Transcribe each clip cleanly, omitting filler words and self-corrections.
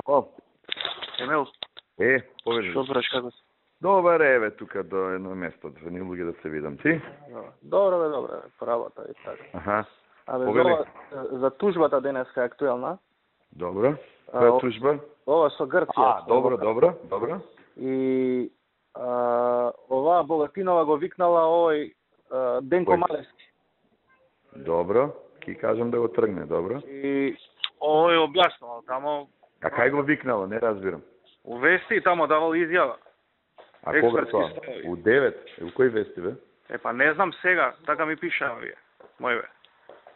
Ало. Емил. Поведи. Што правиш, како си? Добар е, тука до едно место, звени луѓе да се видам. Ти? Добро, по работа и така. Аха. Абе, Повели. за тужбата денеска е актуелна. Добро. Која тужба? Ова со Грција. Добро. И оваа Богатинова го викнала овој Денко Малевски. Добро. Ки кажам да го тргне, добро. И овој објаснувал тамо. А кај го викнала, не разбирам. У вести тамо давал изјава. А кога тоа? У 9? У кој вести, бе? Па не знам сега, така ми пишаа вие. Мојве.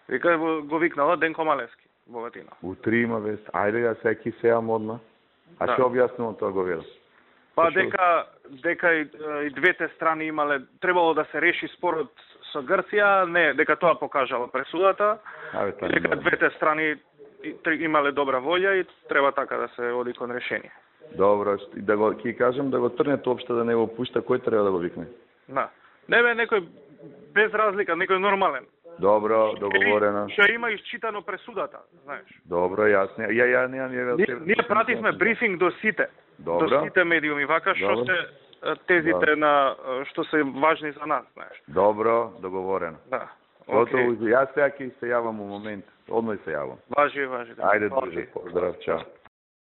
Вика го викнала Денко Малевски, Богатина. У 3 има вест. Ајде ја секи сеам одма. А што објаснувам тоа го видам? Па дека и двете страни имале, требало да се реши спорот со Грција, не, дека тоа покажала пресудата, дека двете страни имале добра волја и треба така да се оди кон решение. Добро, да го ки кажам да го трне општо да не го пушта, кој треба да го викне? Да. Не бе некој без разлика, некој нормален. Добро, договорено. Што има исчитано пресудата, знаеш. Добро, јасно. Ја Ние пративме брифинг до сите. Добро. До сите медиуми, вака што се тезите на што се важни за нас, знаеш. Добро, договорено. Да. Готово, јас сега ќе се јавам у момент. Одној се јавам. Важи. Ајде, друже, поздрав, чао.